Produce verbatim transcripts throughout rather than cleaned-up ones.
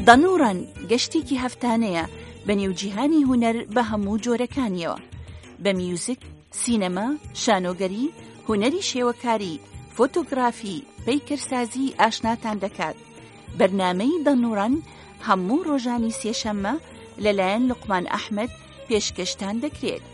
دانووران گەشتێکی هەفتانەیە بە نێوجیهانی هونەر بە هەموو جۆرەکانیەوە، بە میوزیک، سینەما، شانۆگەری، هونەری شێوەکاری، فۆتۆگرافی، پەیکەرسازی ئاشناتان دەکات. بەرنامەی دانووران هەموو ڕۆژانی سێشەممە لەلایەن لوقمان ئەحمەد پێشکەشتان دەکرێت.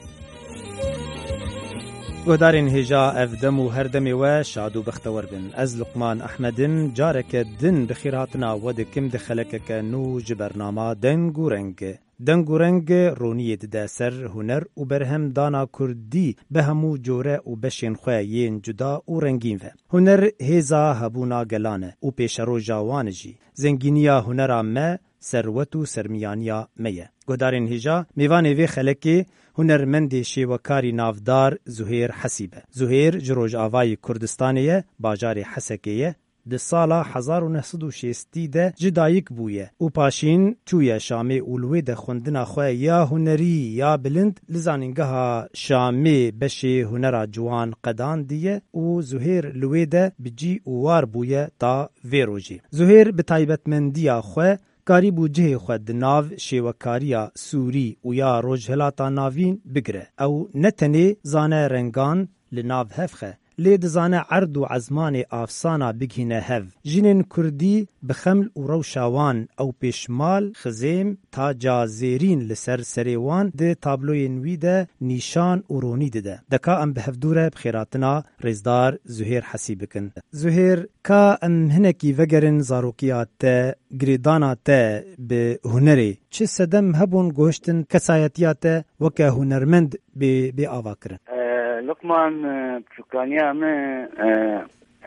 گۆدارên hêja ev dem û her demê we şad û bextewer bin. Ez Luqman Ehmed im, careke din bi xêrhatina we dikim di xelekeke nû ji bernama Deng û Reng. Deng û Reng roniyê dide ser huner û berhem dana kurdî bi hemû core û beşên xwe yên cuda û rengîn ve. Huner hêza hebûna gelan e û pêşeroja wan e jî. Zengîniya hunera me serwet û sermiyaniya me ye. Guhdarên hêja, mêvanê vê xelekê hunermendê şêwekarî navdar Zuhêr Hesî be. Zuhêr ji Rojavayê Kurdistanê ye, bajarê Hesekê ye. Di sala hezar û neh sed û şêstî de ji dayik bûye û paşîn çûye Şamê û li wê de xwendina xwe ya hunerî ya bilind li Zanîngeha Şamê beşê hunera ciwan qedandiye û Zuhêr li wê de bi cî û war bûye ta vê rojê. Zuhêr bi taybetmendiya xwe karîbû cihê xwe di nav şêwekariya Sûrî û ya Rojhilata Navîn bigire. Ew ne tenê zane rengan li nav hev xe, lê dizane erd û ezmanê afsana bigihîne hev. Jinên kurdî bi xeml û rewşa wan ew pêşmal, xizêm, taca zêrîn li ser serê wan di tabloyên wî de nîşan û ronî dide. Deka em bi hevdû re bi xêratina rêzdar Zuhêr Hesî bikin. Zuhêr, ka em hinekî vegerin zarokiya te, girêdana te bi hunerê. Çi sedem hebûn goştin kesayetiya te weke hunermend bê, bê ava kirin? E, Luqman, e, çûkaniya min, e,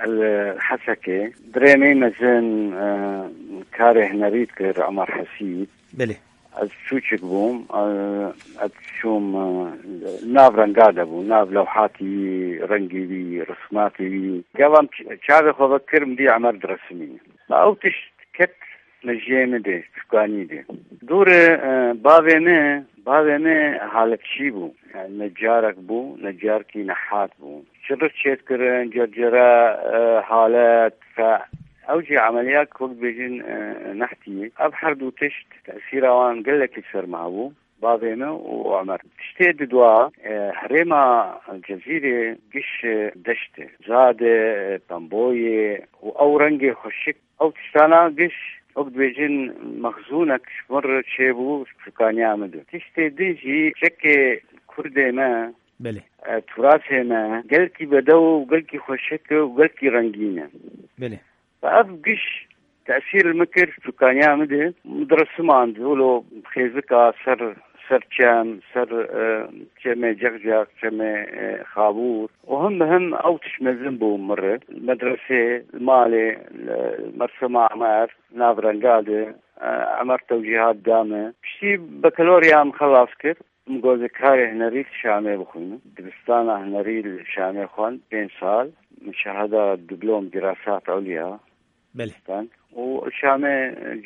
li Hesekê. Birê min mezin, e, karê hunerî dikir, Emar Hesî. Belê. Ez çûçik bûm, e, ez çûm, e, nav renga de bû, nav lewhatî wî, rengî wî, rismatî wî. Gava min ç-, çavê xwe vekir, min dî Emer diresimîne. Ma ew tişt ket mejiyê min de, çûkanî de. Dûre, e, bavê min, bavê min haletçî bû. Yani necarek bû, necarekî nehat bû. Çirri çêdikirin, cercere, e, halet, fe. Ew jî emeliyat wek dibêjin, e, nehtiyê. Ev her du tişt tesîra wan gelekî ser me hebû. Bavê min û Omer. Tiştê didwa, e, herêma Cezîrê giş, e, deşt e. Zad e, pemboyê û ew rengê xweşik. Ew tiştana giş, wek dibêjin, mexzûnek ji min re çêbû, çûkaniya min de. Tiştê din jî çekê kurdê me, Belê. e, turasê me, gelkî bedew û gelkî xweşik e û gelkî rengîn e. Belê. Ve ev giş tesîr li min kir, çûkaniya min de. Min diresimand, wilo xêzika ser, ser çem, ser, e, çemê Cexcex, çemê, e, Xabûr. Û him bi him ew tişt mezin bû min re. Li medresê, li malê, li mersema Emer, nav renga de, e, Emer tewcîhat da min. Piştî bekalorya min xelas kir. Min got, ez karê hunerî li Şamê bixwînim. Dibistana hunerî li Şamê xwend pênc sal. Min şehada diplom dirasat ulya Belê. xwend. Û li Şamê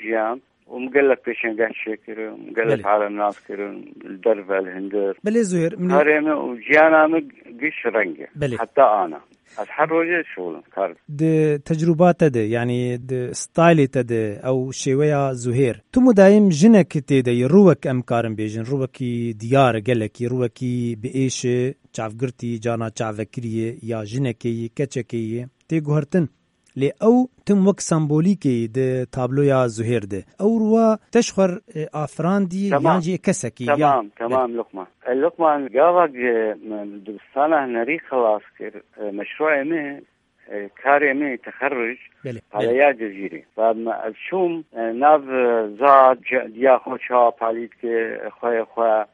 jiyam. Û min gelek pêşengeh çêkirin, min gelek Belê. alem nas kirin, li derve, li hundir. Belê Zuhêr, min Karê min û jiyana min giş reng e. Belê. Heta ana. Ez her rojê şixulim, kar. Di tecrûba te de, yanî di staylê te de, ew şêweya Zuhêr, tu mudayim jinek tê de yî, rûwek em karin bêjin, rûwekî diyar, gelekî, rûwekî bi êş e, çavgirtî, carna çavvekirî ye, ya jinekê yî, keçekê yî, tê guhertin. Lê ew tim wek sembolîkê yî di tabloya Zuhêr de. Ew rûwa te ji xwe, e, afirandî Temam. yan jî kesekî, ya? Temam, temam, Luqman. E, Luqman, gava ge, m, dibistana hunerî xilas kir, e, meşruê min, e, karê min texerruc Belê, belê. paleya Cezîrê. Ve me, ez çûm, e, nav, e, zad, ce-, diya xwe çawa palî dike, xweyê xwe,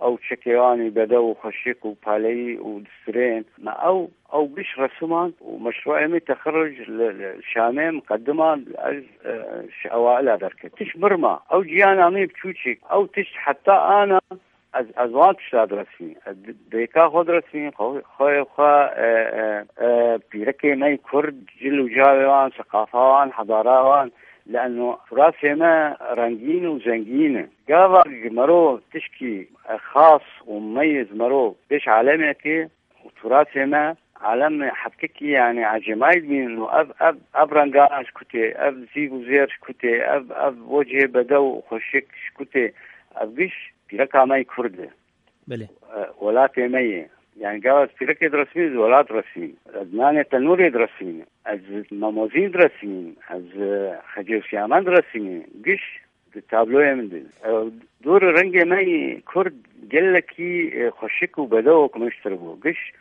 ew çekê wan î bedew û xweşik û paleyî û distirên. Me ew, ew giş resiman û meşruê min texerruc li, li Şamê miqedima ez, e, ji ewaila derket. Tişt mirma, ew ciyana min biçûçik, ew tişt heta ana ez, ez wan tişta diresînim. Ez di-, dêka xwe diresînim, xwe, xweyê xwe, e, e, e, pîrekê me yî kurd, cil û cavê wan, seqafa wan, hedara wan, leno turasê me rengîn û zengîn e. Gava ji mero tişkî, e, xas û meyez mero pêş alemekê û turasê me Alem hepkekî, yani, ecêmayî dibînin û ev, ev, ev rengana ji ku tê, ev zîv û zêr ji ku tê, ev, ev wecihê bedew û xweşik ji ku tê, ev giş pîreka me yê Kurd e. Belê. E, welatê me ye. Yani, gava ez pîrekê diresmînim, ez welat diresmînim. Ez nanê tenûrê diresmînim. Ez mamozîn diresmînim. Ez, e, xecê û siyaman diresmînim. Giş di tabloyê min de. E, dûr rengê me yê Kurd gelekî, e, xweşik û bedew û kumiştir bû. Giş,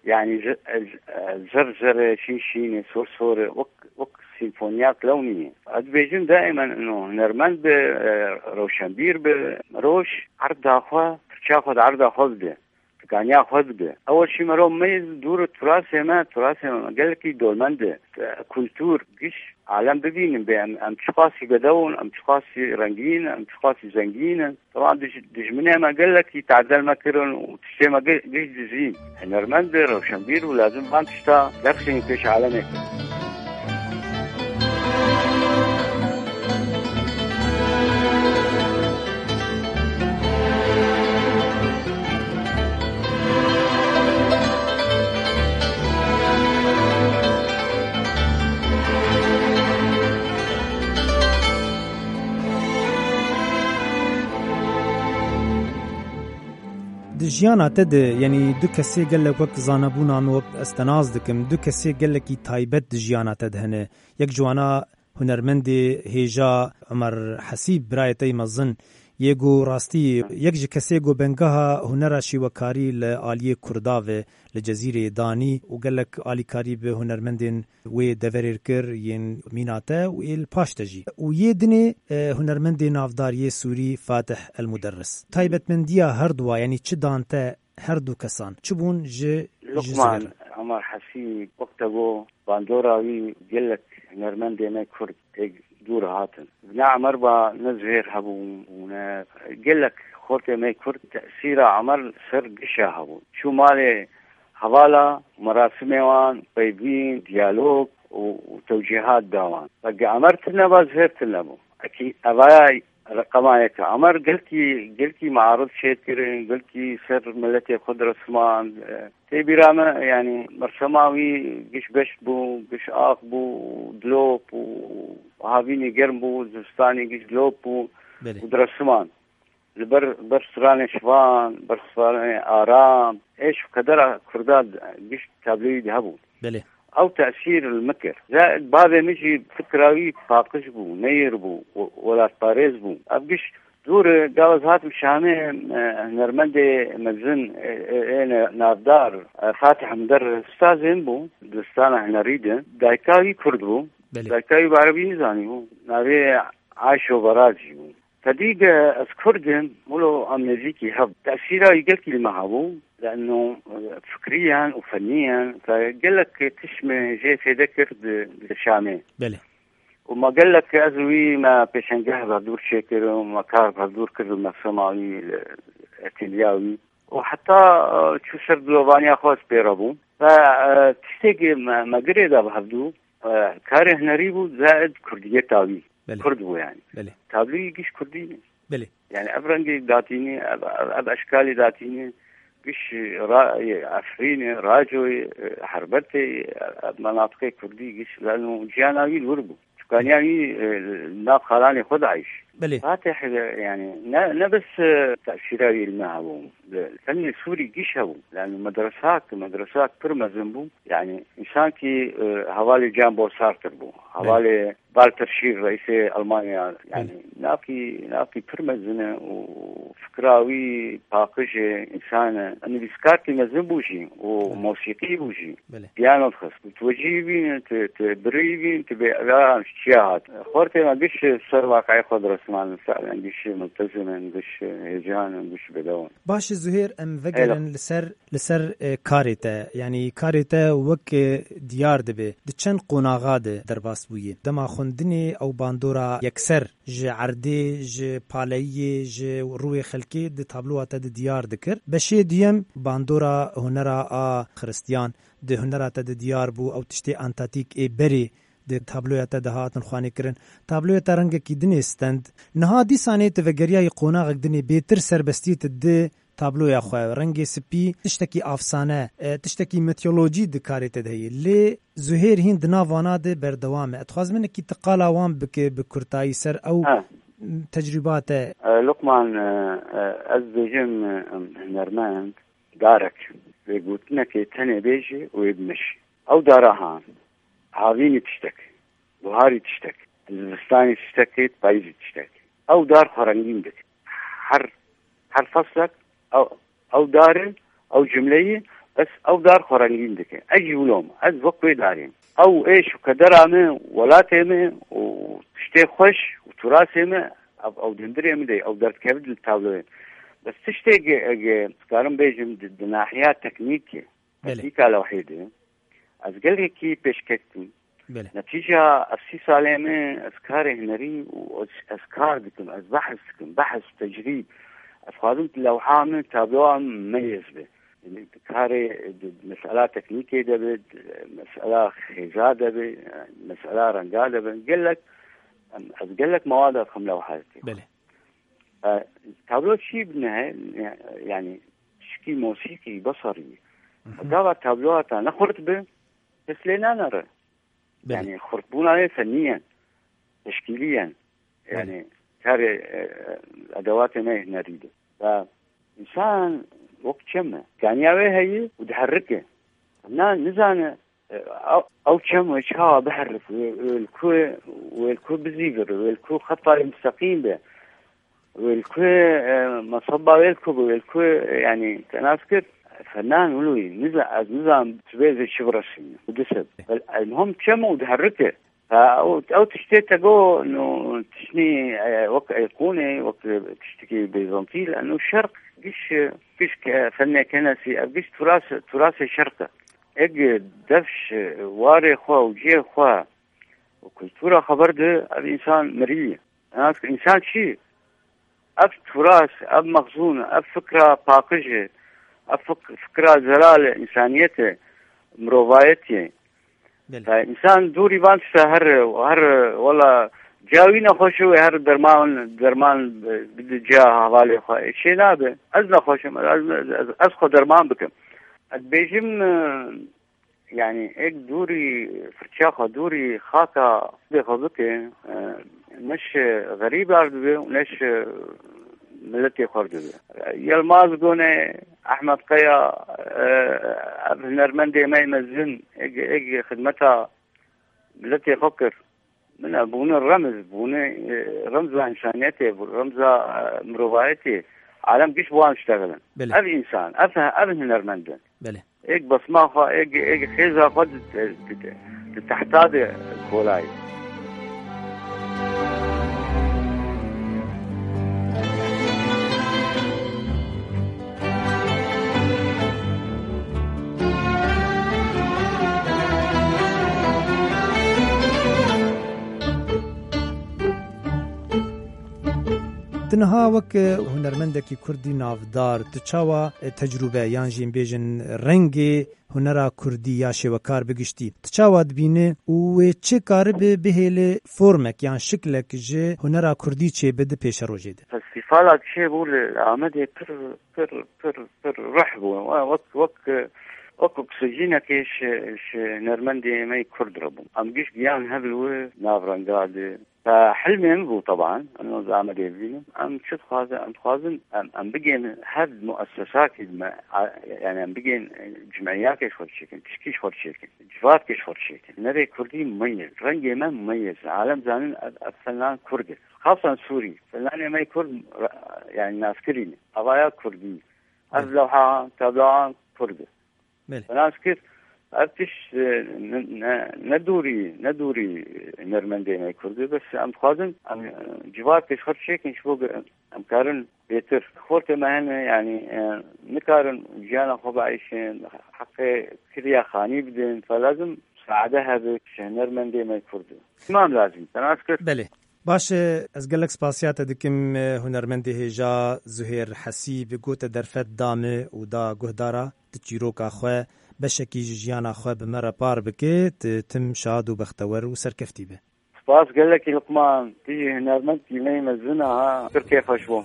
yani, z-, e, z-, e, zir zir e, şîn şîn e, sor sor e, wek, wek sîmfoniyek lewnî ye. Ez dibêjim daîmen ino hunermend be, e, rewşenbîr be, roj erda xwe, pirça xwe di erda xwe bide. Tikaniya xwe bide. Ew jî merov me dûr turasê me, turasê me gelekî dormend e. Kultur, giş, alem bibînin bê em, em çiqasî bedew in, em çiqasî rengîn in, em çiqasî zengîn in. Tevan dij-, dijminê me gelekî tadel me kirin û tiştê me gi-, giş dizîn. Hunermend e, rewşenbîr û lazim van tişta derxînin pêş alemê. Di jiyana te de, yanî du kesê gelek wek zanebûna min, wek ez te nas dikim, du kesê gelekî taybet di jiyana te de hene. Yek ji wana hunermendê hêja Omer Hesîb, birayê te yê mezin, yê ku rastî yek ji kesê ku bengeha hunera şîwekarî li aliyê Kurda ve li Cezîrê danî û gelek alîkarî bi hunermendên wê deverê kir, yên mîna te û ê li paş te jî. Û yê dinê, e, hunermendê navdar yê Sûrî Fatih El Muderris. Taybetmendiya herduwa, yanî çi dan te her du kesan? Çi bûn ji, ji Lukman, Zuher? Omer Hesî, wek te got, bandora wî gelek hunermendê me Kurd ê dûr hatin. Ne Omer ba, ne Zuher hebûn û ne gelek xortê me Kurd tesîra Omer li ser gişa hebûn. Çû malê hevala, merasimê wan, peyvîn, diyalog û, û tewcîhat da wan. Vege Omer tune ba, Zuher tune bû. Ekî evaya reqema yek e. Omer gelkî, gelkî mearif çêkirin, gelkî ser miletê xwe diresmand. E, tê bîra me, yanî, mersema wî giş beşt bû, giş ax bû, dilop û havînî germ bû, zivistanî giş dilop bû Belê. û diresmand. Li ber, ber stranê şivan, ber stranê aram, êş û qedera Kurda giş tabloyî de hebû. Belê. Ew tesîr li min kir. Ze-, bavê min jî fikra wî paqij bû, neyir bû, we-, welatparêz bû. Ev giş dûr e, gava ez hatim Şamê, e, hunermendê mezin, e, e, ê ne-, navdar, e, Fatih Muderris, ustazê min bû, di stana hunerî de. Dayika wî Kurd bû. Belê. Dayika wî bi erebî nizanî bû. Navê Ayşo Barazî bû. Tedî ge ez Kurd im, wilo em nêzîkî hev. Tesîra wî gelkî li me hebû, leno, e, fikriyen û feniyen, te gelek tişt me jê fêde kir di, di Şamê. Belê. Û me gelek ez û wî me pêşengeh bi hevdûr çêkir û me kar bi hevdûr kir li mersema wî, li etêliya wî. Û heta, e, çû ser dilovaniya xwe ez pê re bûm. Ve, e, tiştekî me, me girê da bi hevdû, e, karê hunerî bû, zaid kurdiyeta wî. Belê. Kurd bû yani. Belê. Tabloyî giş kurdî ne. Belê. Yani ev rengê datînî, ev, ev, ev eşkalê datînî, giş ra-, Efrînê, Racoyê, Herbetê, ev menatiqê kurdî giş, leno ciyana wî li wir bû. Çukaniya wî, e, nav xalanê xwe de eyş. Belê. Fatih, e, yani ne, ne bes, e, tesîra wî li me hebû. Li fennê Sûrî giş hebû. Yani medresak, medresak pir mezin bû. Yani însan kî, e, hevalê Jean Paul Sartre bû. Belê. Hevalê Walter Schirr, reîsê Almanya, yani, Belê. navkî, navkî pir mezin e û fikra wî paqij e, însan e. Nivîskarkî mezin bû jî û Belê. mosîqî bû jî. Belê. Piyano dixist. Tu wecî bîn, tu, tu birî bîn, tu bê, ya, çiya hat. Xortê me giş ser waqeyê xwe diresman, salen giş multezim in, giş hêcan in, giş bedew in. Baş e Zuhêr, em vegerin Êla. li ser Li ser, e, karê te, yanî karê te wek, e, diyar dibe, di çend qonaxa de derbas bûye. Dema xwendinê ew bandora yekser ji erdê, ji paleyiyê, ji rûyê xelkê di tabloya te de diyar dikir. Beşê duyem bandora hunera a xiristiyan di hunera te de diyar bû, ew tiştê antatîk ê berê di tabloya te de hatin xwanîkirin. Tabloya te rengekî din ê stend. Niha dîsanê tu vegeriyayî qonaxek din ê bêtir serbestiyê tu di tabloya xwe, rengê spî tiştekî afsane, e, tiştekî mitolojî di karê te de heye. Lê Zuhêr hîn di nav wana de berdewam e. Dixwazim hinekî tu qala wan bike bi kurtayî ser ew Ha. tecrûba te. E, Luqman, e, e, ez dibêjim, e, hunermend darek, wê gotinekê tenê bêje û wê bimeşe. Ew dara ha, havînî tiştek, buharî tiştek, zivistanî tiştek, payîzî tiştek. Ew dar xwe rengîn dike. Her, her feslek ew, ew darê, ew cumleyê, bes ew dar xwe rengîn dike. Ez jî wilo me, ez wek wê darê me. Ew êş û kedera me, welatê me û tiştê xweş û turasê me, ew, ew dindirê min de, ew derdikeve di tabloyê. Bes tiştê ge, ge, dikarim bêjim di, di nahiya teknîkê, Belê. teknîka lewhê de, ez gelekî pêşket bûm. Belê. Netîca ev sî salê min, ez karê hunerî û ez, ez kar dikim, ez behs dikim, behs, tecrîb. Ez xwazim lewha min, tabloya min meyez be. Yanî karê di, di mesela teknîkê de be, di mesela xêza de be, mesela renga de be. Gelek, em, ez gelek mewada dixim lewha dikê. Belê. E, tablo çi bine, yanî şikî mosîkî, beserî. Mhm. Gava tabloya te ne xurt be, kes lê nanere. Belê. Yanî xurtbûna wê fenî ye, teşkîlî ye. Belê. Yanî karê, e, edewatê me hunerî de. Ve însan wek çem e. Kaniya wê heye û diherike. Na nizane, e, ew, ew çem wê çawa biherif, wê, wê li ku, wê li ku bizîvir, wê li ku xeta wê misteqîm be. Wê li ku, e, meseba wê li ku bû, wê li ku, e, yanî te nas kir, fenan wilo yî, niza-, ez nizam tu bê zê çi bireşîne. Û disib. Bel, el muhim çem û diherike. Ha, ew, ew tiştê te go, no, tiştî, e, wek eyqûnê, wek tiştekî Bîzantî, leno şerq giş, e, giş ke-, fenê kenesî, ev giş turas, turasê şerq e. Eg defş, e, warê xwe û cihê xwe û kultura xwe berde, ev însan mirî ye. Nas kir, însan çi? Ev turas, ev mexzûn, ev fikra paqij e, ev fik-, fikra zelal e, însaniyet e, mirovayetiyê. Belê. Te însan dûrî van tişta her, her, wela, ca wî nexweş e, wê her derman, derman bide ca hevalê xwe. Ê çê nabe. Ez nexweş im, ez, ez, ez, ez xwe derman bikim. Ez dibêjim, e, Yanî, êk dûrî firça xwe, dûrî xaka dê xwe bike, e, ne ji xerîbar dibe û ne ji miletê xwe dibe. Yilmaz Gone, Ehmed Kaya, e, ev hunermendê me yê mezin, êk, êk xidmeta miletê xwe kir. Min ev bûne remz, bûne, e, remza însaniyetê, bû remza, e, mirovayetê. Alem giş bi wan diştexilin. Belê. Ev însan, ev, ev hunermend in. Belê. Êk besma xwe, êk, êk xêza xwe di, di, di, di tehta de kolayî. Tu niha wek hunermendekî kurdî navdar, tu çawa tecrûbe yan jî em bêjin rengê hunera kurdî ya şêwekar bi giştî, tu çawa dibîne û wê çi karibe bihêle formek yan şiklek ji hunera kurdî çêbe di pêşerojê de? Festîfala çêbû li Amedê pir, pir, pir, pir ruh bû. Wek, wek, wek oksijînekê ji, ji hunermendê me yê kurd re bû. Em giş giyan hev li wê navrenga de. Te hilmê min bû, teban, em zehmet ê bibînin. Em çi dixwazin? Em dixwazin, em, em bigên her muessesakî me, a, yani em bigên, e, cimeyakê ji xwe çêkin, tişkî ji xwe çêkin, civatkê ji xwe çêkin. Nerê kurdî meyez, rengê me meyez. Alem zanin ev, ev fenan kurd e. Xasan Sûrî, fenanê me kurd, ra-, yani naskirî ne. Avaya kurdî. Ev lewha, tabloan kurd e. Belê. Nas kir, ev tişt, e, ne, ne, ne dûrî, ne dûrî hunermendê me kurd e, bes em dixwazin, em, e, civakê ji xwe çêkin, ji bo em karin bêtir. Xortê me hene, yanî, e, nikarin jiyana xwe bieyşin, heqê kiriya xanî bidin, fe lazim saade hebe ji hunermendê me kurd e. Îmam lazim, te nas kir? Belê. Baş e, ez gelek spasiya te dikim, e, hunermendê hêja Zuhêr Hesîb, ku te derfet da me û da guhdara, tu çîroka xwe, beşekî ji jiyana xwe bi me re par bike, tu tim şad û bextewer û serkeftî be. Spas gelekî Luqman, tu jî hunermendkî me yê mezin a, ha, pir kêfxweş bû.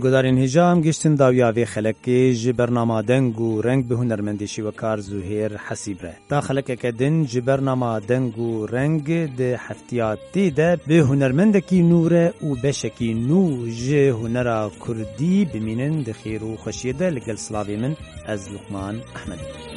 Gudarên hêja, em giştin dawiya vê xelekê ji bernama Deng û Reng bi hunermendê şîwekar Zuhêr Hesîb re. Ta xelekeke din ji bernama Deng û Reng di heftiya tê de bi hunermendekî nû re û beşekî nû ji hunera kurdî bimînin di xêr û xweşiyê de. Li gel silavê min, ez Luqman Ehmed im.